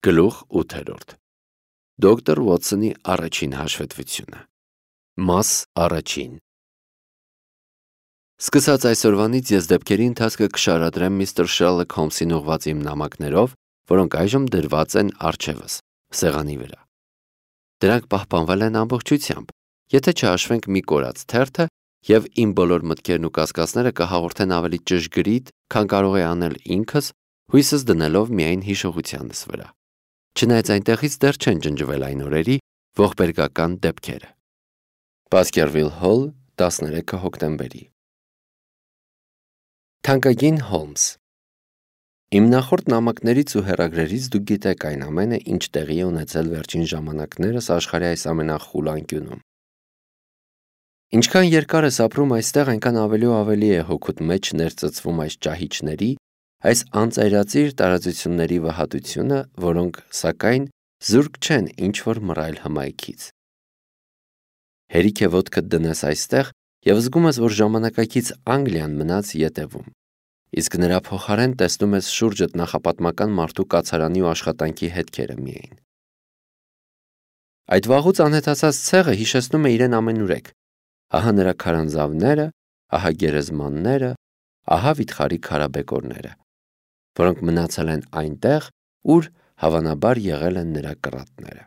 Գլուխ 8. Դոկտոր Ուոթսոնի առաջին հաշվետվությունը։ Մաս առաջին։ Սկսած այսօրվանից ես դեպքերի ընթացքը կշարադրեմ միստր Շերլոք Հոլմսին ուղղված իմ նամակներով, որոնք այժմ դրված են առջևս, սեղանի վրա։ Դրանք պահպանվել են ամբողջությամբ, եթե չհաշվենք մի կորած թերթը, եւ իմ բոլոր մտքերն ու կասկածները կհաղորդեն ավելի ճշգրիտ, քան կարող է անել ինքս, հույսս դնելով միայն հիշողությանս վրա։ Չնայած այնտեղից դեռ չեն ջնջվել այն օրերի ողբերգական դեպքերը։ Բասքերվիլ Հոլ, 13 հոկտեմբերի։ Թանկագին Հոլմս, իմ նախորդ նամակներից ու հեռագրերից դուք գիտեք այն ամենը, ինչ տեղի է ունեցել վերջին ժամանակներս աշխարհի այս ամենախուլ անկյունում։ Ինչքան երկար ես ապրում այստեղ, այնքան ավելի ու ավելի է հոգուդ մեջ ներծծվում այս ճահիճների, այս անծայրածիր տարածությունների վհատությունը, որոնք, սակայն, զուրկ չեն ինչ-որ մռայլ հմայքից։ Հերիք է ոտքդ դնես այստեղ և զգում ես, որ ժամանակակից Անգլիան մնաց ետևում, իսկ նրա փոխարեն տեսնում ես շուրջդ նախապատմական մարդու կացարանի ու աշխատանքի հետքերը միայն։ Այդ վաղուց անհետացած ցեղը հիշեցնում է իրեն ամենուրեք, ահա նրա քարանձավները, ահա գերեզմանները, ահա վիթխարի քարաբեկորները, որոնք մնացել են այնտեղ, ուր հավանաբար եղել են նրա կռատները։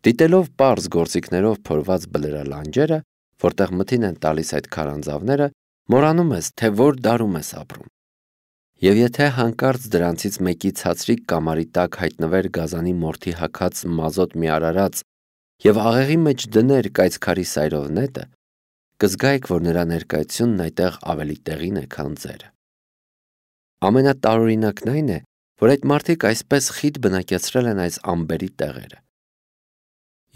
Դիտելով պարզ գործիքներով փորված բլրալանջերը, որտեղ մթին են տալիս այդ քարանձավները, մոռանում ես, թե որ դարում ես ապրում։ Եվ եթե հանկարծ դրանցից մեկի ցածրիկ կամարի տակ հայտնվեր գազանի մորթի հագած մազոտ մի արարած եւ աղեղի մեջ դներ կայծքարի սայրով նետը, կզգայիք, որ նրա ներկայությունն այդտեղ ավելի տեղին է, քան ձերը։ Ամենատարօրինակն այն է, որ այդ մարդիկ այսպես խիտ բնակեցրել են այս ամբերի տեղերը։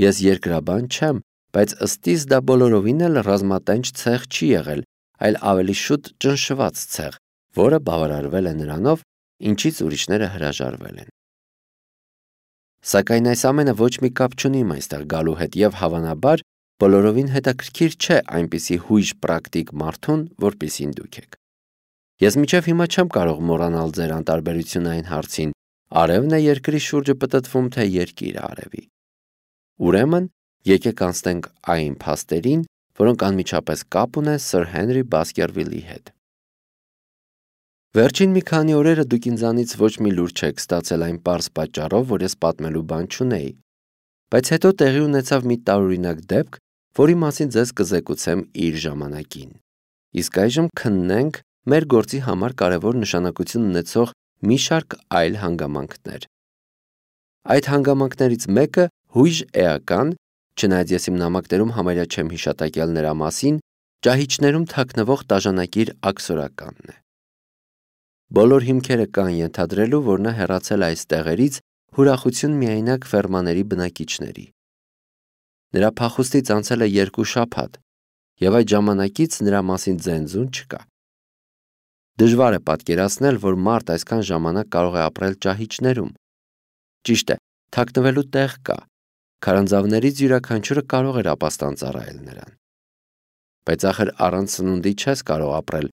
Ես երկրաբան չեմ, բայց ըստիս դա բոլորովին էլ ռազմատենչ ցեղ չի եղել, այլ ավելի շուտ ճնշված ցեղ, որը բավարարվել է նրանով, ինչից ուրիշները հրաժարվել են։ Սակայն այս ամենը ոչ մի կապ չունի իմ այստեղ գալու հետ եւ հավանաբար բոլորովին հետաքրքիր չէ այնպիսի հույժ պրակտիկ մարդուն, որպիսին դուք եք։ Ես մինչև հիմա չեմ կարող մոռանալ ձեր անտարբերությունը այն հարցին, արևն է երկրի շուրջը պտտվում, թե երկիրը արևի։ Ուրեմն, եկեք անցնենք այն փաստերին, որոնք անմիջապես կապ ունեն Սր Հենրի Բասքերվիլի հետ։ Վերջին մի քանի օրերը դուք ինձանից ոչ մի լուր չեք ստացել այն պարզ պատճառով, որ ես պատմելու բան չունեի, բայց հետո տեղի ունեցավ մի տարօրինակ դեպք, որի մասին ձեզ կզեկուցեմ իր ժամանակին։ Իսկ այժմ քննենք մեր գործի համար կարևոր նշանակություն ունեցող մի շարք այլ հանգամանքներ։ Այդ հանգամանքներից մեկը հույժ էական, չնայած ես իմ նամակներում համարյա չեմ հիշատակել նրա մասին, ճահիճներում թաքնվող տաժանակիր աքսորականն է։ Բոլոր հիմքերը կան ենթադրելու, որ նա հեռացել է այս տեղերից ուրախություն միայնակ ֆերմաների բնակիչների։ Նրա փախուստից անցել է 2 շաբաթ, եւ այդ ժամանակից նրա մասին ձենձուն չկա։ Դժվար է պատկերացնել, որ մարդ այսքան ժամանակ կարող է ապրել ճահիճներում։ Ճիշտ է, թաքնվելու տեղ կա, քարանձավներից յուրաքանչյուրը կարող էր ապաստան ծառայել նրան։ Բայց ախր առանց սնունդի չես կարող ապրել,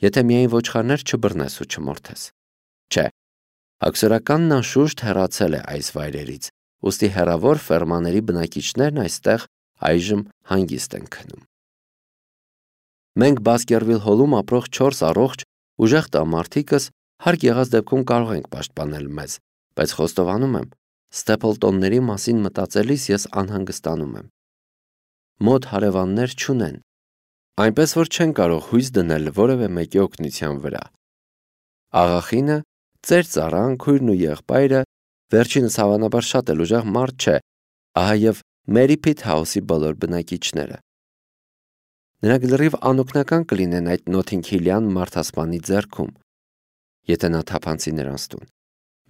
եթե միայն ոչխարներ չբռնես ու չմորթես։ Չէ, աքսորականն անշուշտ հեռացել է այս վայրերից, ուստի հեռավոր ֆերմաների բնակիչներն այստեղ այժմ հանգիստ են քնում։ Մենք Բասքերվիլ Հոլում ապրող 4 առողջ ուժեղ տղամարդիկս հարկ եղած դեպքում կարող ենք պաշտպանել մեզ, բայց խոստովանում եմ, Ստեփլտոնների մասին մտածելիս ես անհանգստանում եմ։ Մոտ հարևաններ չունեն, այնպես որ չեն կարող հույս դնել որևէ մեկի օգնության վրա։ Աղախինը, ծեր ծառան, քույրն ու եղբայրը, վերջինս հավանաբար շատ էլ ուժեղ մարդ չէ, ահա եւ Մերի Փիթ Հաուսի բոլոր բնակիչները։ Նրանք լրիվ անօգնական կլինեն այդ նոթինգհիլյան մարդասպանի ձեռքում, եթե նա թափանցի նրանց տուն։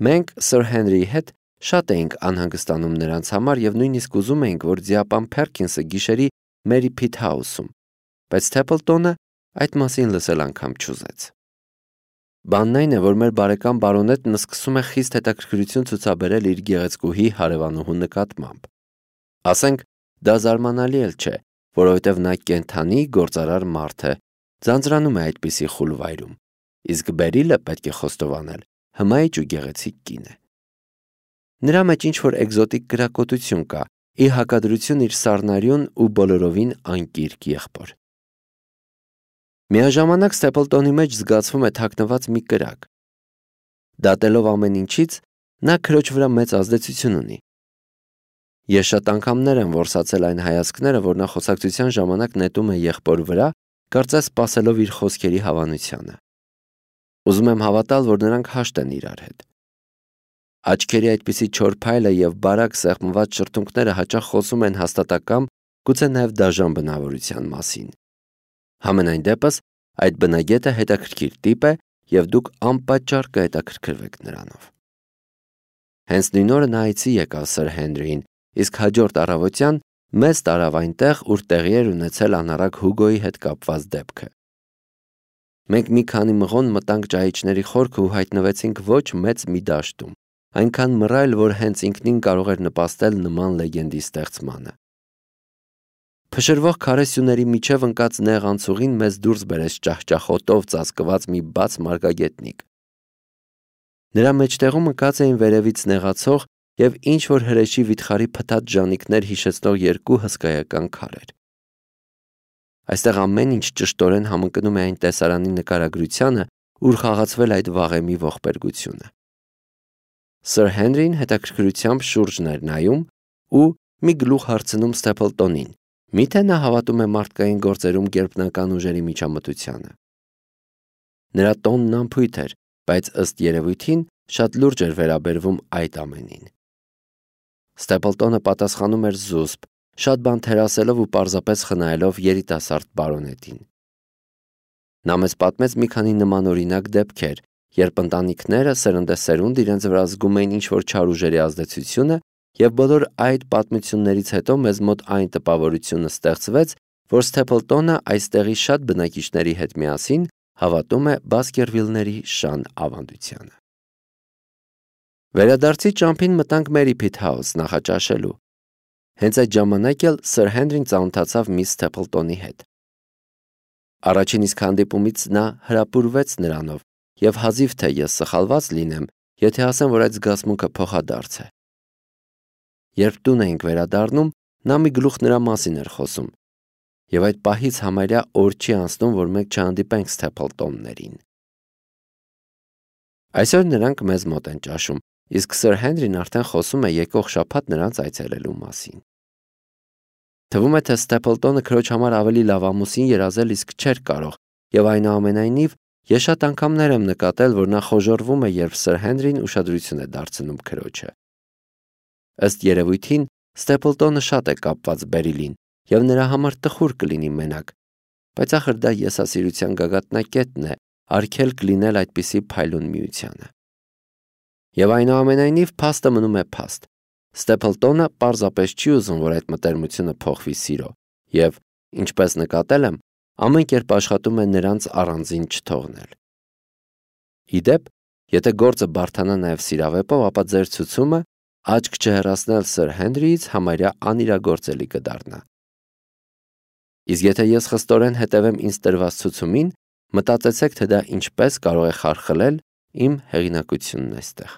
Մենք Սր Հենրիի հետ շատ էինք անհանգստանում նրանց համար եւ նույնիսկ ուզում էինք, որ ձիապան Փերքինսը գիշերի Մերի Փիթ Հաուսում, բայց Թեփլտոնը այդ մասին լսել անգամ չուզեց։ Բանն այն է, որ մեր բարեկամ բարոնետն սկսում է խիստ հետաքրքրություն ցուցաբերել իր գեղեցկուհի հարևանուհու նկատմամբ։ Ասենք, դա զարմանալի էլ չէ, որովհետև նա կենդանի գործարար մարդ է, ձանձրանում է այդպիսի խուլ վայրում, իսկ Բերիլը պետք է խոստովանել, հմայիչ ու գեղեցիկ կին է։ Նրա մեջ ինչ-որ էկզոտիկ կրակոտություն կա, ի հակադրություն իր սառնարյուն ու բոլորովին անկիրք եղբոր։ Միաժամանակ Ստեփլտոնի մեջ զգացվում է թաքնված մի կրակ։ Դատելով ամեն ինչից, նա քրոջ վրա մեծ ազդեցություն ունի։ Ես շատ անգամներ եմ որսացել այն հայացքները, որ նա խոսակցության ժամանակ նետում է եղբոր վրա, կարծես սպասելով իր խոսքերի հավանությանը։ Ուզում եմ հավատալ, որ նրանք հաշտ են իրար հետ։ Աչքերի այդպիսի չոր փայլը եւ բարակ սեղմված շրթունքները հաճախ խոսում են հաստատակամ, գուցե նաեւ դաժան բնավորության մասին։ Համենայն դեպս, այդ բնագետը հետաքրքիր տիպ է եւ դուք անպատճառ կհետաքրքրվեք նրանով։ Հենց նույն օրը նա այցի եկավ Սր Հենրիին, իսկ հաջորդ առավոտյան մեզ տարավ այնտեղ, ուր տեղի էր ունեցել անառակ Հուգոյի հետ կապված դեպքը։ Մենք մի քանի մղոն մտանք ճահիճների խորքը ու հայտնվեցինք ոչ մեծ մի դաշտում, այնքան մռայլ, որ հենց ինքնին կարող էր նպաստել նման լեգենդի ստեղծմանը։ Փշրվող քարե սյուների միջև ընկած նեղ անցուղին մեզ դուրս բերեց ճահճախոտով ծածկված մի բաց մարգագետնիկ։ Նրա մեջտեղում ընկած էին վերևից նեղացող եւ ինչ-որ հրեշի վիթխարի փթաթ ժանիքներ հիշեցնող երկու հսկայական քարեր։ Այստեղ ամեն ինչ ճշտորեն համընկնում է այն տեսարանի նկարագրությանը, ուր խաղացվել այդ վաղեմի ողբերգությունը։ Սր Հենրին հետաքրքրությամբ շուրջն էր նայում ու մի գլուխ հարցնում Ստեփլտոնին. միթե նա հավատում է մարդկային գործերում գերբնական ուժերի միջամտությանը։ Նրա տոնն անփույթ էր, բայց ըստ երևույթին շատ լուրջ էր վերաբերվում այդ ամենին։ Ստեփլտոնը պատասխանում էր զուսպ, շատ բան թերասելով ու պարզապես խնայելով երիտասարդ բարոնետին։ Նա մեզ պատմեց մի քանի նմանօրինակ դեպքեր, երբ ընտանիքները սերնդեսերունդ իրենց վրա զգում էին ինչ-որ չար ուժերի ազդեցությունը, եւ բոլոր այդ պատմություններից հետո մեզ մոտ այն տպավորությունը ստեղծվեց, որ Ստեփլտոնը այստեղի շատ բնակիչների հետ միասին հավատում է Բասկերվիլների շան ավանդությանը։ Վերադարձի ճամփին մտանք Մերի Փիթհաուս նախաճաշելու։ Հենց այդ ժամանակ էլ Սր Հենրին ծանոթացավ միս Ստեփլտոնի հետ։ Առաջին իսկ հանդիպումից նա հրապուրվեց նրանով եւ հազիվ թե ես սխալված լինեմ, եթե ասեմ, որ այդ զգացմունքը փոխադարձ է։ Երբ տուն էինք վերադառնում, նա մի գլուխ նրա մասին էր խոսում, եւ այդ պահից համարյա օր չի անցնում, որ մենք չհանդիպենք Ստեփլտոններին։ Այսօր նրանք մեզ մոտ են ճաշում, իսկ Սր Հենրին արդեն խոսում է եկող շաբաթ նրանց այցելելու մասին։ Թվում է, թե Ստեփլտոնը քրոջ համար ավելի լավ ամուսին երազել իսկ չէր կարող, եւ այնուամենայնիվ ես շատ անգամներ եմ նկատել, որ նա խոժոռվում է, երբ Սր Հենրին ուշադրություն է դարձնում քրոջը։ Ըստ երևույթին Ստեփլտոնը շատ է կապված Բերիլին եւ նրա համար տխուր կլինի մենակ, բայց ախր դա եսասիրության գագաթնակետն է, արգելք լինել այդպիսի փայլուն միությանը։ Եվ այնուամենայնիվ փաստը մնում է փաստ։ Ստեփլտոնը պարզապես չի ուզում, որ այդ մտերմությունը փոխվի սիրո, եւ, ինչպես նկատել եմ, ամեն կերպ աշխատում է նրանց առանձին չթողնել։ Իդեպ, եթե գործը բարդանա նաեւ սիրավեպով, ապա ձեր ցուցումը աչք չհեռացնել Սր Հենրիից համարյա անիրագործելի կդառնա։ Իսկ եթե ես խստորեն հետևեմ ինձ տրված ցուցումին, մտածեցեք, թե դա ինչպես կարող է խարխլել իմ հեղինակությունն այստեղ։